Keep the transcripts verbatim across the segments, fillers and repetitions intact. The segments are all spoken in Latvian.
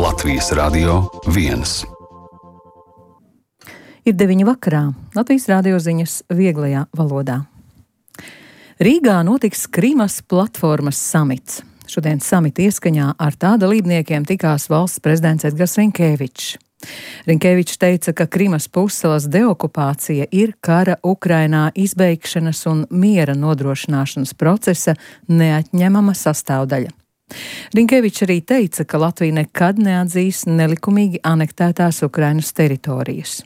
Latvijas Radio viens. Ir deviņi vakarā. Latvijas radio ziņas vieglajā valodā. Rīgā notiks Krimas platformas samits. Šodien samita ieskaņā ar tā dalībniekiem tikās valsts prezidents Edgars Rinkēvičs. Rinkēvičs teica, ka Krimas pussalas deokupācija ir kara Ukrainā izbeigšanas un miera nodrošināšanas procesa neatņemama sastāvdaļa. Rinkēvičs arī teica, ka Latvija nekad neatzīs nelikumīgi anektētās Ukrainas teritorijas.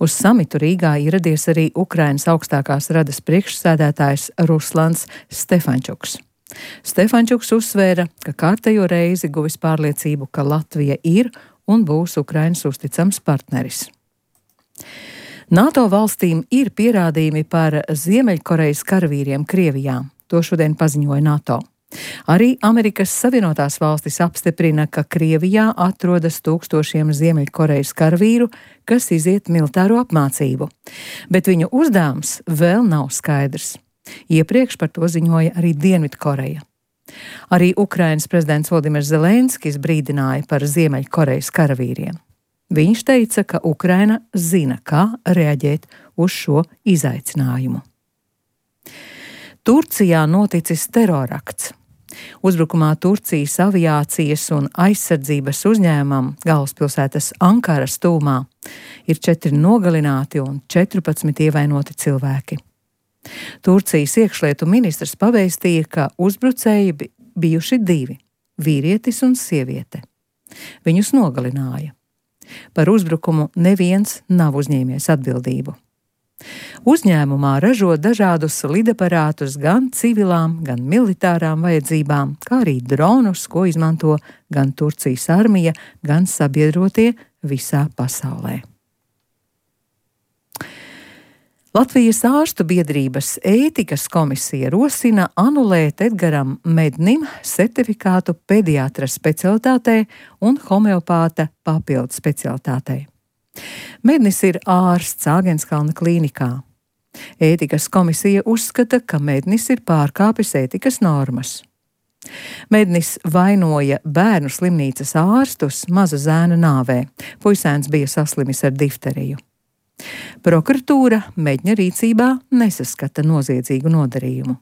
Uz samitu Rīgā ieradies arī Ukrainas augstākās radas priekšsēdētājs Ruslans Stefančuks. Stefančuks uzsvēra, ka kārtējo reizi guvis pārliecību, ka Latvija ir un būs Ukrainas uzticams partneris. NATO valstīm ir pierādījumi par Ziemeļkorejas karavīriem Krievijā. To šodien paziņoja NATO. Arī Amerikas Savienotās valstis apstiprina, ka Krievijā atrodas tūkstošiem Ziemeļkorejas karavīru, kas iziet militāro apmācību. Bet viņu uzdevums vēl nav skaidrs. Iepriekš par to ziņoja arī Dienvidkoreja. Arī Ukrainas prezidents Volodimirs Zelenskis brīdināja par Ziemeļkorejas karavīriem. Viņš teica, ka Ukraina zina, kā reaģēt uz šo izaicinājumu. Turcijā noticis terorakts. Uzbrukumā Turcijas aviācijas un aizsardzības uzņēmumam galvaspilsētas Ankaras tūmā ir četri nogalināti un četrpadsmit ievainoti cilvēki. Turcijas iekšlietu ministrs pavēstīja, ka uzbrucēji bijuši divi – vīrietis un sieviete. Viņus nogalināja. Par uzbrukumu neviens nav uzņēmies atbildību. Uzņēmumā ražo dažādus lidaparātus gan civilām, gan militārām vajadzībām, kā arī dronus, ko izmanto gan Turcijas armija, gan sabiedrotie visā pasaulē. Latvijas ārstu biedrības ētikas komisija rosina anulēt Edgaram Mednim certifikātu pediatra specialitātei un homeopāta papildu specialitātei. Mednis ir ārsts Āgenskalna klīnikā. Ētikas komisija uzskata, ka Mednis ir pārkāpis ētikas normas. Mednis vainoja bērnu slimnīcas ārstus maza zēna nāvē. Puisēns bija saslimis ar difteriju. Prokuratūra Medņa rīcībā nesaskata noziedzīgu nodarījumu.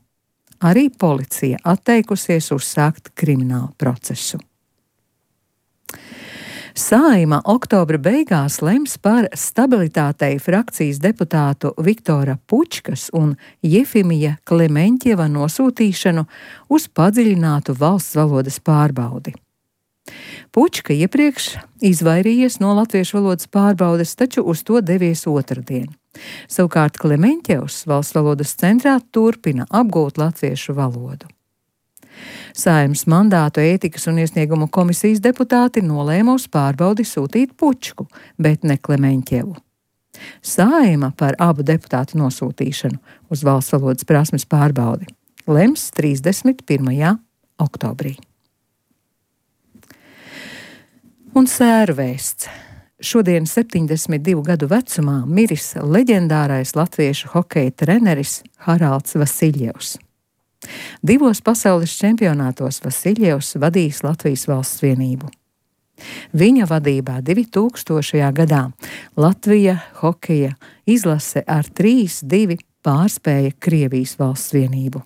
Arī policija atteikusies uzsākt kriminālu procesu. Saeima oktobra beigās lems par stabilitātei frakcijas deputātu Viktora Pučkas un Jefimija Klemeņķieva nosūtīšanu uz padziļinātu valsts valodas pārbaudi. Pučka iepriekš izvairījies no latviešu valodas pārbaudes, taču uz to devies otrdien. Savukārt Klemeņķievs valsts valodas centrā turpina apgūt latviešu valodu. Saeimas mandātu ētikas un iesniegumu komisijas deputāti nolēma uz pārbaudi sūtīt Pučku, bet ne Klemeņķievu. Saeima par abu deputātu nosūtīšanu uz valsts valodas prasmes pārbaudi lems trīsdesmit pirmajā oktobrī. Un sērvēsts. Šodien septiņdesmit divu gadu vecumā miris leģendārais latviešu hokeja treneris Haralds Vasiļjevs. Divos pasaules čempionātos Vasiļjevs vadījis Latvijas valsts vienību. Viņa vadībā divtūkstošajā gadā Latvija hokeja izlase ar trīs divi pārspēja Krievijas valsts vienību.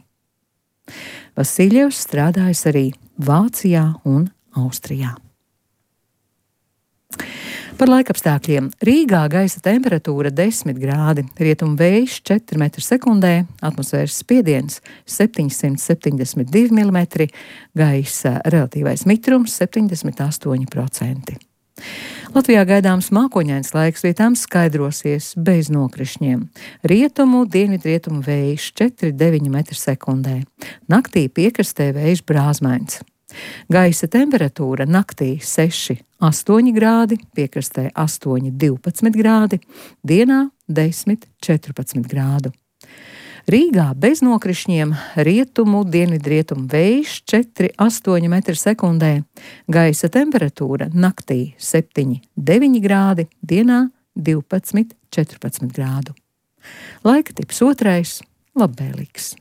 Vasiļjevs strādājis arī Vācijā un Austrijā. Par laikapstākļiem. Rīgā gaisa temperatūra desmit grādi, rietumu vējš četri metri sekundē, atmosfēras spiediens septiņsimt septiņdesmit divi milimetri, gaisa relatīvais mitrums septiņdesmit astoņi procenti. Latvijā gaidāms mākoņains laiks, vietām skaidrosies bez nokrišņiem. Rietumu, dienvidrietumu vējš četri deviņi metri sekundē. Naktī piekrastē vējš brāzmains. Gaisa temperatūra naktī seši astoņi grādi, piekrastē astoņi divpadsmit grādi, dienā desmit četrpadsmit grādu. Rīgā bez nokrišņiem, rietumu, dienvidrietumu vējš četri astoņi metri sekundē, gaisa temperatūra naktī septiņi deviņi grādi, dienā divpadsmit četrpadsmit grādu. Laika tips otrais – labvēlīgs.